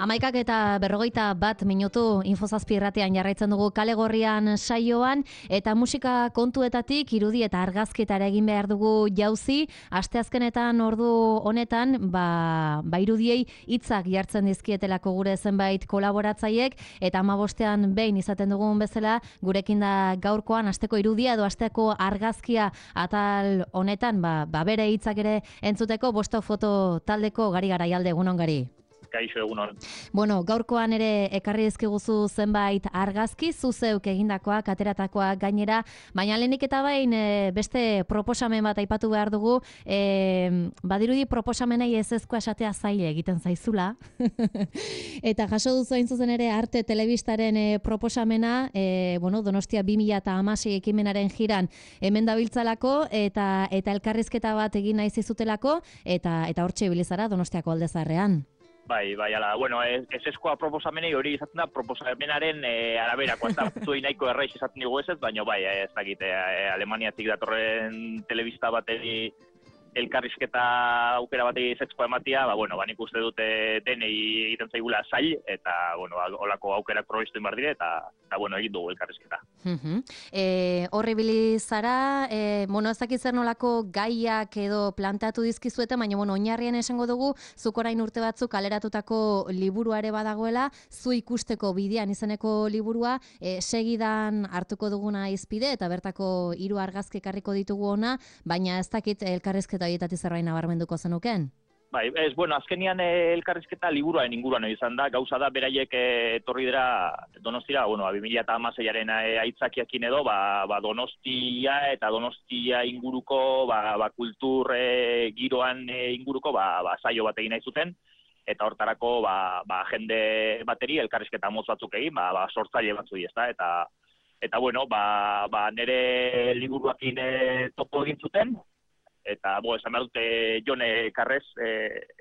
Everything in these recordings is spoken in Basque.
11:41 Infozazpi irratian jarraitzen dugu Kale Gorrian saioan, eta musika kontuetatik irudi eta argazkitara egin behar dugu jauzi. Asteazkenetan ordu honetan, irudiei hitzak jartzen dizkietelako gure zenbait kolaboratzaiek, eta 15ean behin izaten dugun bezala, gurekin da gaurkoan asteko irudia edo asteko argazkia atal honetan, bere hitzak ere entzuteko Bosto Foto taldeko Gari Garaialde, egunon Gari. Kaixo, egunon. Bueno, gaurkoan ere ekarri dizkiguzu zenbait argazki, zu zeuk egindakoak, ateratakoak gainera, baina lehenik eta bain beste proposamen bat aipatu behar dugu, badirudi proposamenei ezezkoa esatea zaile egiten zaizula, eta jaso duzu hain zuzen ere Arte Telebistaren proposamena, Donostia 2016 ekimenaren jiran hemen dabiltzalako, eta elkarrizketa bat egin nahi zizutelako, eta hortxe ibilizara Donostiako Aldezarrean. Bai, ala, ezezkoa proposamenei hori izaten da, proposamenaren araberakoa, ez da, zuei nahiko erraiz izaten dugu ez, baina ez dakit, Alemaniatik datorren telebista bateri elkarrizketa aukera batei ezezkoa ematia, nik uste dute denei egiten zaigula zail, eta, holako aukerak probestu inbar dire, eta egin dugu elkarrizketa. Horri bilizara, ez dakit zer nolako gaiak edo plantatu dizkizuete, baina, oinarrien esango dugu, zuk orain urte batzuk kaleratutako liburua ere badagoela, zu ikusteko bidean izeneko liburua, segidan hartuko duguna izpide, eta bertako 3 argazki ekarriko ditugu ona, baina ez dakit elkarrizketa horietatik zerbait nabarmenduko zenuken? Bai, azkenian elkarrizketa liburuaren inguruan izan da, gauza da beraiek etorri dira Donostira, 2016aren aitzakiakin edo, Donostia eta Donostia inguruko, kultur giroan inguruko, saio bat egin nahi zuten, eta hortarako, jende bateri elkarrizketa motz batzuk egin, sortzaile batzui, ezta, eta nire liburuakin topo egin zuten, eta, esan behar dute Jone Karrez,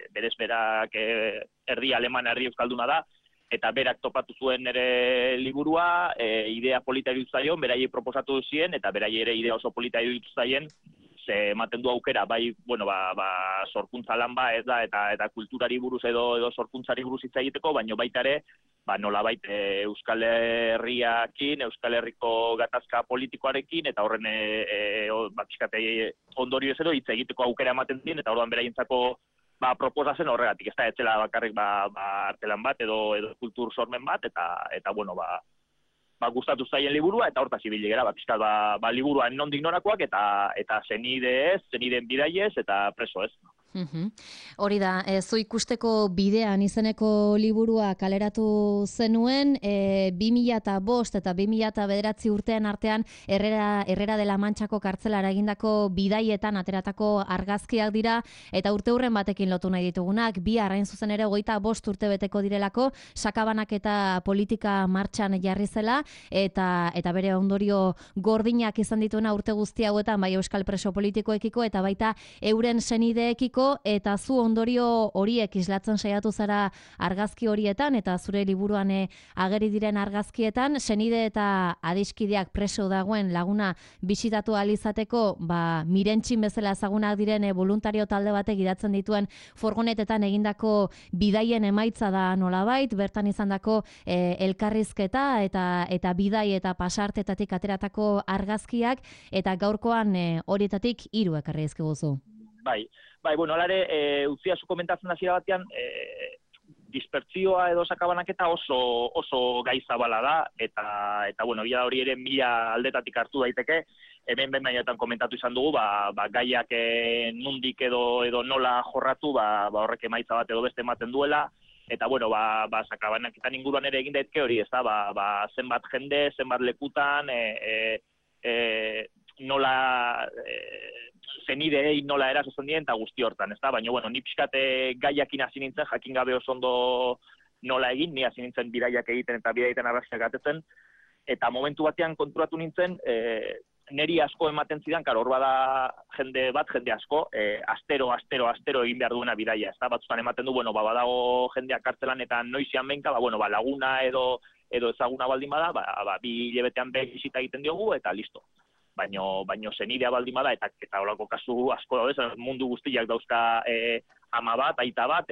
berez berak erdi aleman, erdi euskalduna da, eta berak topatu zuen nire liburua, idea polita iruditu zaion, beraiei proposatu zien, eta beraiei ere idea oso polita iruditu zaien, ze ematen du aukera, sorkuntza lan ez da, eta kulturari buruz edo sorkuntzari buruz hitz egiteko, baina baita ere, nolabait Euskal Herriakin, Euskal Herriko gatazka politikoarekin, eta horren ondorio ez edo hitz egiteko aukera ematen zien, eta orduan beraientzako proposatzen horregatik, ez da, etzela bakarrik artelan bat edo kultur sormen bat, eta gustatu zaien liburua, eta hortaz ibili gara, liburuan nondik norakoak, eta zenideen bidaiez, eta preso ez. Hori da, zu ikusteko bidean izeneko liburua kaleratu zenuen, 2005 eta 2009 urtean artean Herrera de la Manchako kartzelara egindako bidaietan ateratako argazkiak dira, eta urte hurren batekin lotu nahi ditugunak, bi hain zuzen ere 25 urte beteko direlako, sakabanak eta politika martxan jarri zela, eta bere ondorio gordinak izan dituena urte guzti hauetan, bai euskal preso politikoekiko, eta baita euren senideekiko, eta zu ondorio horiek islatzen saiatu zara argazki horietan, eta zure liburuan ageri diren argazkietan, senide eta adiskideak preso dagoen laguna bisitatu ahal izateko, mirentxin bezala ezagunak diren voluntario talde batek gidatzen dituen furgonetetan egindako bidaien emaitza da nolabait, bertan izandako elkarrizketa eta bidai eta pasartetatik ateratako argazkiak, eta gaurkoan horietatik 3 ekarri dizkiguzu. Bai, alare, utziazu komentatzen hasiera batean, dispertzioa edo sakabanaketa oso gai zabala da, eta bila hori ere 1000 aldetatik hartu daiteke, hemen behin komentatu izan dugu, gaiak nundik edo nola jorratu, horrek emaitza bat edo beste ematen duela, eta sakabanaketan inguruan ere egin daiteke hori, ez da, zenbat jende, zenbat lekutan, nola zenidei nola erasotzen dien, eta guzti hortan, ez da? Baina, ni pixkate gaiakin hasi nintzen, jakin gabe oso ondo nola egin, ni hasi nintzen bidaiak egiten eta bidaietan argazkiak atetzen, eta momentu batean konturatu nintzen, neri asko ematen zidan, hor bada jende asko, astero egin behar duena bidaia, ez da? Batzutan ematen du, badago jendeak kartzelan eta noizian behinka, laguna edo ezaguna baldin bada, 2 hilabetean behin bisita egiten diogu, eta listo. baino zenidea baldin bada, eta holako kasu asko daude, mundu guztiak dauzka ama bat, aita bat,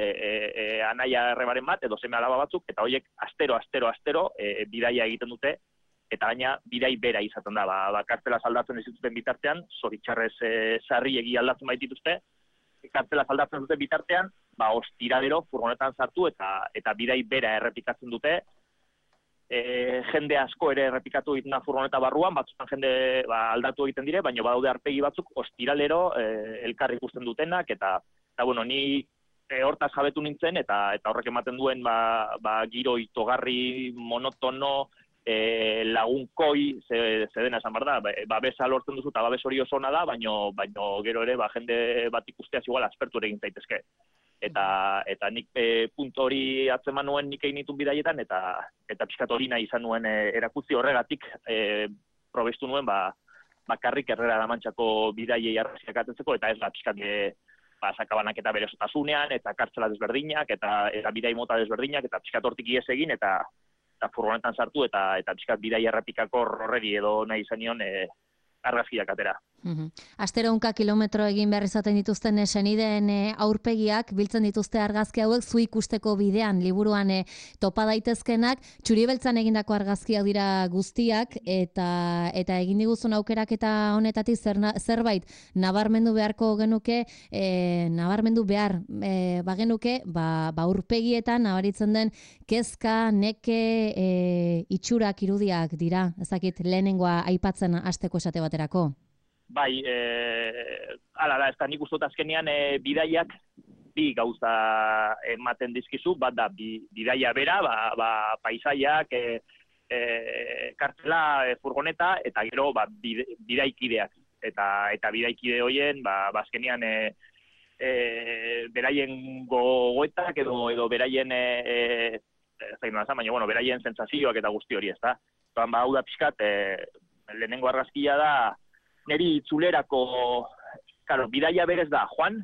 anaia errebaren bat, edo seme alaba batzuk, eta horiek astero, bidaia egiten dute, eta gaina bidai bera izaten da, kartzela aldatzen ez dituzten bitartean, zoritxarrez sarriegi aldatzen baitituzte, kartzela aldatzen duten bitartean, ostiradero furgonetan sartu eta bidai bera errepikatzen dute, jende asko ere errepikatu egiten da furgoneta barruan, batzutan jende aldatu egiten dire, baina badaude arpegi batzuk ostiralero elkar ikusten dutenak, eta bueno, ni hortaz jabetu nintzen, eta horrek ematen duen giro itogarri, monotono, lagunkoi, zedena esan behar da, babesa lortzen duzu, eta babes hori oso ona da, baina gero ere jende bat ikusteaz igual aspertu ere egin zaitezke. Eta nik puntu hori atzeman nuen nik egin ditun bidaietan, eta pixkat hori nahi izan nuen erakutzi horregatik probestu nuen bakarrik Herrera Mantxako bidaiei arraziak atetzeko, eta ez da pixkat sakabanak eta bere osotasunean, eta kartzela desberdinak, eta bidai mota desberdinak, eta pixkat hortik ies egin, eta furgonetan sartu, eta pixkat bidai errepikako horreri edo nahi izan nion argazkiak atera. Astero 100 kilometro egin behar izaten dituzten senideen aurpegiak, biltzen dituzte argazki hauek zu ikusteko bidean, liburuan topa daitezkenak, Txuri-beltzan egindako argazkiak dira guztiak, eta egin diguzun aukeraketa honetatik zerbait nabarmendu beharko genuke, nabarmendu behar bagenuke, aurpegietan nabaritzen den kezka, neke, itxurak, irudiak dira, ezakit lehenengoa aipatzen hasteko esate baterako. Bai, ala da, ez da nik uste azkenean bidaiak bi gauza ematen dizkizu, bat da, bidaia bera, paisaiak, kartzela, furgoneta, eta gero bidaikideak. Eta bidaikide horien, azkenean beraien gogoetak edo beraien, beraien sentsazioak eta guzti hori, ez da. Hau da pixkat, lehenengo argazkia da, neri itzulerako, bidaia berez da, joan,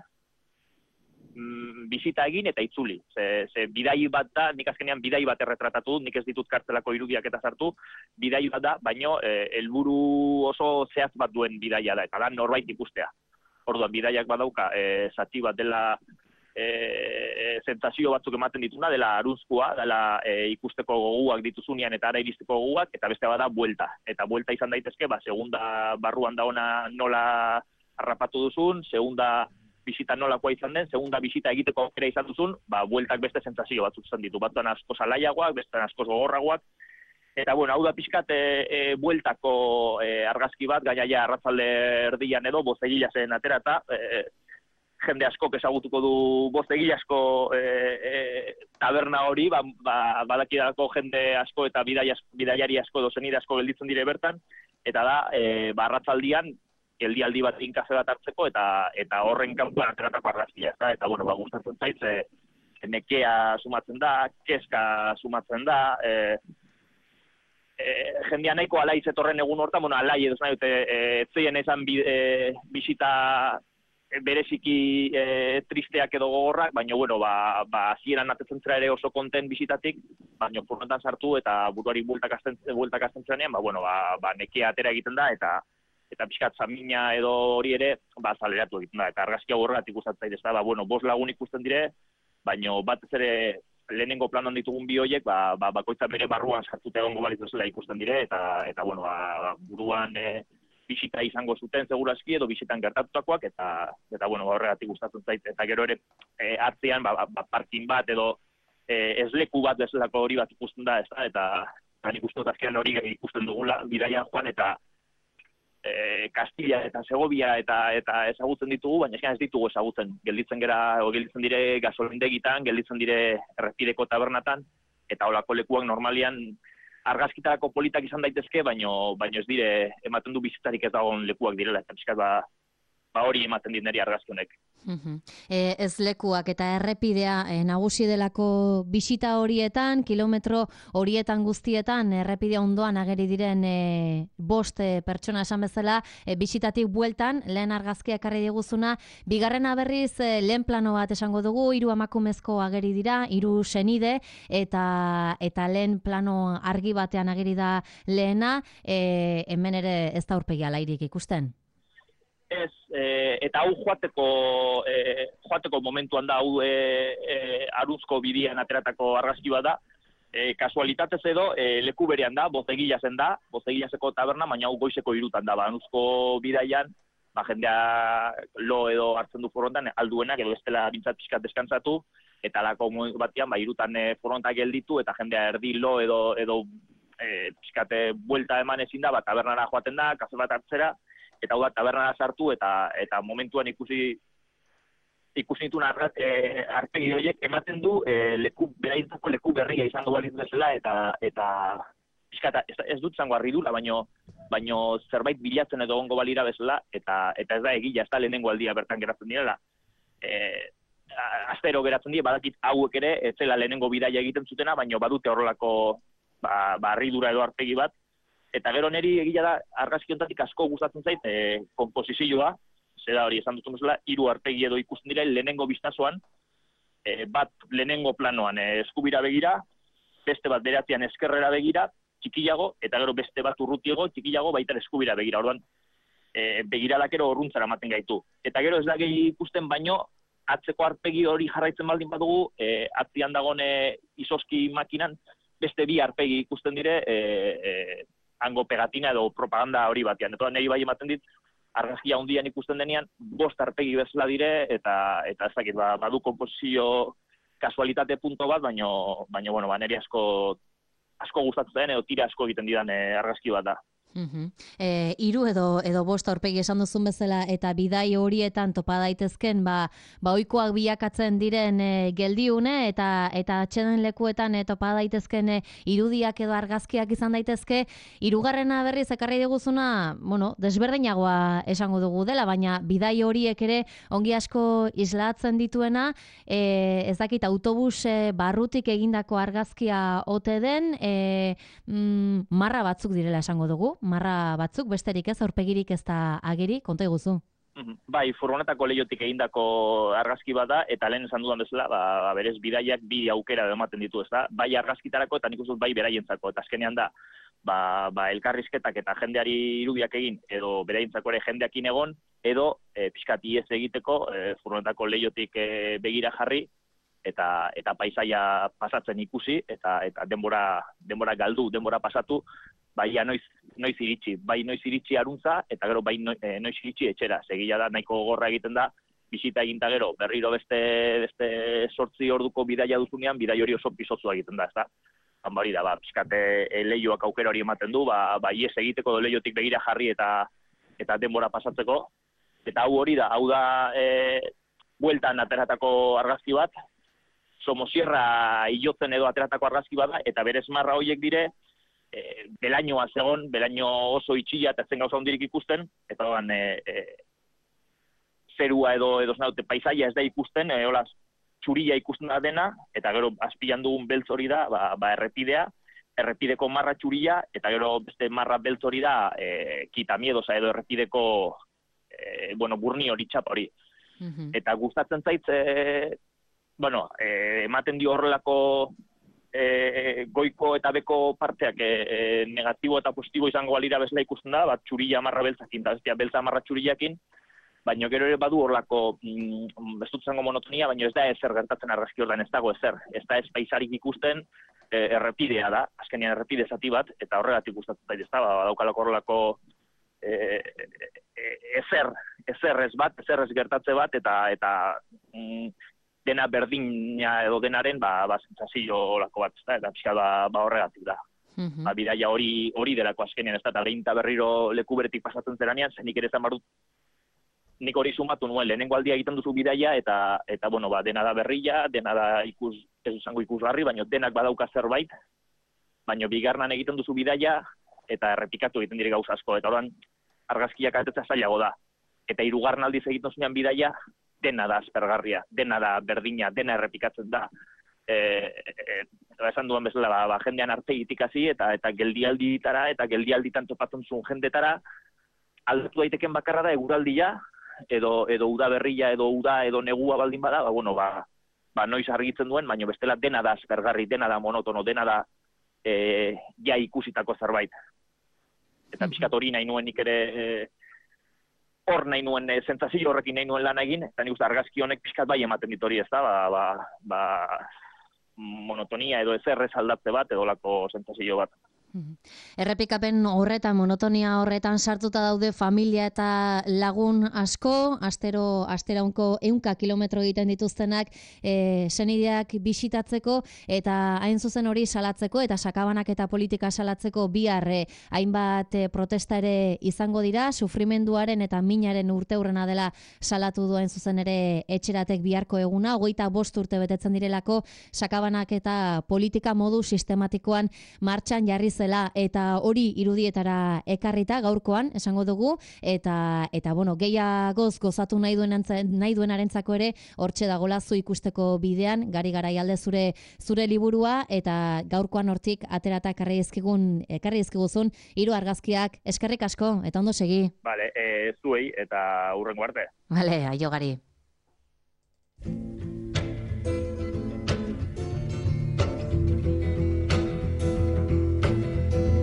bizita egin eta itzuli. Ze bidai bat da, nik azkenean bidai bat erretratatu dut, nik ez ditut kartzelako irudiak eta sartu, bidai bat da, baino helburu oso zehaz bat duen bidaia da, eta da norbait ikustea. Orduan, bidaiak badauka, zati bat dela sentsazio batzuk ematen dituna, dela arunzkoa, dela ikusteko goguak dituzunean eta ara iristeko goguak, eta beste bada buelta. Eta buelta izan daitezke, segunda barruan da ona nola harrapatu duzun, segunda bisita nolakoa izan den, segunda bisita egiteko aukera izan duzun, bueltak beste sentsazio batzuk izan ditu. Batzuan asko zalaiagoak, beste asko gogorragoak. Eta, bueno, hau da pixkat bueltako argazki bat, gainaia arratzalde erdian edo, bozegilazen aterata, jende askok ezagutuko du bozegilasko taberna hori, badakidako jende asko eta bidaiari asko edo zenide asko gelditzen dire bertan, eta da, arratzaldian, geldialdi bat kafe bat hartzeko, eta horren kanpoan ateratako argazkia, eta, bueno, gustatzen zait, nekea sumatzen da, kezka sumatzen da, jendea nahiko alai zetorren egun hortan, bueno, alai edo nahi dute, zeien ezan bisita bereziki tristeak edo gogorrak, baina, bueno, hasieran atetzen zera ere oso konten bisitatik, baina furgonetan sartu eta buruari bueltak azten zenean, nekea atera egiten da, eta pixkat zamina edo hori ere, zaleratu egiten da, eta argazkia horregatik gustatzen zaitez da, 5 lagun ikusten dire, baina batez ere lehenengo planon ditugun bi horiek, bakoitza bere barruan sartuta egongo balitzu zela ikusten dire, eta bueno, buruan bisita izango zuten segurazki edo bisitan gertatutakoak, eta bueno, horregatik gustatzen zait, eta gero ere atzean, parkin bat edo esleku bat bezalako hori bat ikusten da, eta nik uste dut azkenan hori ikusten dugula, bidaian joan, eta Kastilla eta Segovia eta ezagutzen ditugu, baina ez ditugu ezagutzen. Gelditzen dire gasolindegitan, gelditzen dire errepideko tabernatan, eta holako lekuak normalian argazkitarako politak izan daitezke, baina ez dire ematen du bizitarik ez dagoen lekuak direla, eta pixkat hori ematen dit niri argazki honek. Ez lekuak eta errepidea nagusi delako bisita horietan, kilometro horietan guztietan, errepidea ondoan ageri diren 5 pertsona esan bezala, bisitatik bueltan, lehen argazkia ekarri diguzuna, bigarrena berriz lehen plano bat esango dugu, 3 emakumezko ageri dira, 3 senide, eta lehen plano argi batean ageri da lehena, hemen ere ez da aurpegi alairik ikusten. Ez, eta hau joateko momentuan da, hau Aruzko bidian ateratako argazki bat da, kasualitatez edo leku berean da, Bozegilazen da, Bozegilazeko taberna, baina hau goizeko 3 da, Aruzko bidaian, jendea lo edo hartzen du forontan, alduenak edo bestela bintzat pixkat deskantzatu, eta lako batean 3 forontak gelditu, eta jendea erdi lo edo pixkate buelta eman ezin da, tabernara joaten da, kafe bat hartzera, eta hau da, tabernara sartu, eta momentuan ikusi dituen arpegi horiek ematen du beraientzako leku berria izango balitz bezala, eta ez dut zango harridura, baino zerbait bilatzen edo gongo balira bezala, eta ez da egila, ez da lehenengo aldia bertan geratzen direla. Astero geratzen dira, badakit hauek ere, ez zela lehenengo bidaia egiten zutena, baino badute horrelako harridura edo arpegi bat. Eta gero niri egia da argazki honetatik asko gustatzen zait konposizioa, zera hori esan dutun bezala, 3 arpegi edo ikusten dira lehenengo bistazoan, bat lehenengo planoan eskubira begira, beste bat beratzean eskerrera begira, txikiago, eta gero beste bat urrutiago, txikiago, baita eskubira begira. Orduan, begiralakero horruntzara ematen gaitu. Eta gero ez da gehi ikusten baino, atzeko arpegi hori jarraitzen baldin badugu, atzian dagoen izoski makinan, beste 2 arpegi ikusten dire, hango pegatina edo propaganda hori batean. Eta nahi bai ematen dit, argazkia handian ikusten denean, 5 arpegi bezala dire, eta ez dakit, badu konposizio kasualitate punto bat, baino niri asko gustatzen den, edo tira asko egiten didan argazki bat da. 3 edo 5 aurpegi esan duzun bezala eta bidai horietan topa daitezken ohikoak bilakatzen diren geldiune eta atxeden lekuetan topa daitezken irudiak edo argazkiak izan daitezke. 3. berriz ekarri diguzuna, desberdinagoa esango dugu dela, baina bidai horiek ere ongi asko islatzen dituena, ez dakit autobus barrutik egindako argazkia ote den, marra batzuk direla esango dugu. Marra batzuk, besterik ez, aurpegirik ez da ageri, konta iguzu. Bai, furgonetako lehiotik egindako argazki bat da, eta lehen esan dudan bezala, berez bidaiak 2 aukera ematen ditu, ez da? Bai argazkitarako eta nik uste bai beraientzako, eta azkenean da, elkarrizketak eta jendeari irudiak egin, edo beraientzako ere jendeakin egon, edo pixkat iez egiteko, furgonetako lehiotik begira jarri, eta paisaia pasatzen ikusi, eta denbora galdu, denbora pasatu, bai noiz iritsi aruntza, eta gero bai noiz iritsi etxera. Segila da, nahiko gorra egiten da, bisita eginta gero, berriro beste 8 orduko bidaia duzunean, bidai hori oso pisotzu egiten da, ez da? Hori da, pixkate lehioak aukera hori ematen du, ies egiteko do lehiotik begira jarri eta denbora pasatzeko. Eta hau da bueltan ateratako argazki bat, Somosierra hilotzen edo ateratako argazki bat da, eta berez marra horiek dire, belainoa zegon, belaino oso itxila eta zen gauza hondirik ikusten, eta horan zerua edo znaute paisaia ez da ikusten, txuria ikusten da dena, eta gero azpilan dugun beltz hori da, errepidea, errepideko marra txuria, eta gero beste marra beltz hori da, kitamiedosa edo errepideko burni hori txapa hori. Eta gustatzen zait, ematen dio horrelako goiko eta beko parteak negatibo eta positibo izango balira bezala ikusten da, txurilla marra beltzakin, eta bestia beltza marra txurillakin, baina gero ere badu horlako ez dut zango monotonia, baina ez da ezer gertatzen argazki horretan, ez dago ezer, ez da ez paisarik ikusten, errepidea da, azkenean errepide zati bat, eta horregatik gustatzen zait, ez da, daukalako horrelako ezer ez gertatze bat, eta dena berdina edo denaren zentzazio olako bat, eta pixka horregatik da. Bidaia hori delako azkenean, ez da, eta behin eta berriro leku beretik pasatzen zeranean, zenik ere zan barut, nik hori sumatu nuen, lehenengo aldia egiten duzu bidaia, eta dena da berria, dena da ez izango ikusgarri, baina denak badauka zerbait, baina bigarnan egiten duzu bidaia, eta errepikatu egiten dire gauza asko, eta oran argazkiak atetzea zailago da. eta hirugarren aldiz egiten zuenean bidaia, dena da aspergarria, dena da berdina, dena errepikatzen da. Esan duen bezala, jendean artegitik hasi eta geldialditara, eta geldialditan topatzen zuen jendetara, aldatu daiteken bakarra da eguraldia, edo uda berria, edo uda, edo negua baldin bada, noiz argitzen duen, baina bestela dena da aspergarri, dena da monotono, dena da ja ikusitako zerbait. Eta pixkat hori nahi nuen nik ere, hor nahi nuen sentsazio horrekin nahi nuen lan egin, eta nik uste argazki honek pixkat bai ematen dit hori ez da, monotonia edo ezerrez aldatze bat, edo lako sentsazio bat. Errepikapen horretan, monotonia horretan sartuta daude familia eta lagun asko, asteraunko 100 kilometro egiten dituztenak senideak bisitatzeko, eta hain zuzen hori salatzeko, eta sakabanak eta politika salatzeko bihar hainbat protesta ere izango dira, sufrimenduaren eta minaren urteurrena dela salatu du hain zuzen ere etxeratek biharko eguna, 25 urte betetzen direlako sakabanak eta politika modu sistematikoan martxan jarri zela, eta hori irudietara ekarrita gaurkoan esango dugu, eta gehiagoz gozatu nahi duenarentzako ere hortxe dagola zu ikusteko bidean, Gari Garaialde zure liburua, eta gaurkoan hortik aterata ekarri dizkiguzun 3 argazkiak. Eskerrik asko eta ondo segi. Vale, zuei eta hurrengo arte. Vale, aio Gari.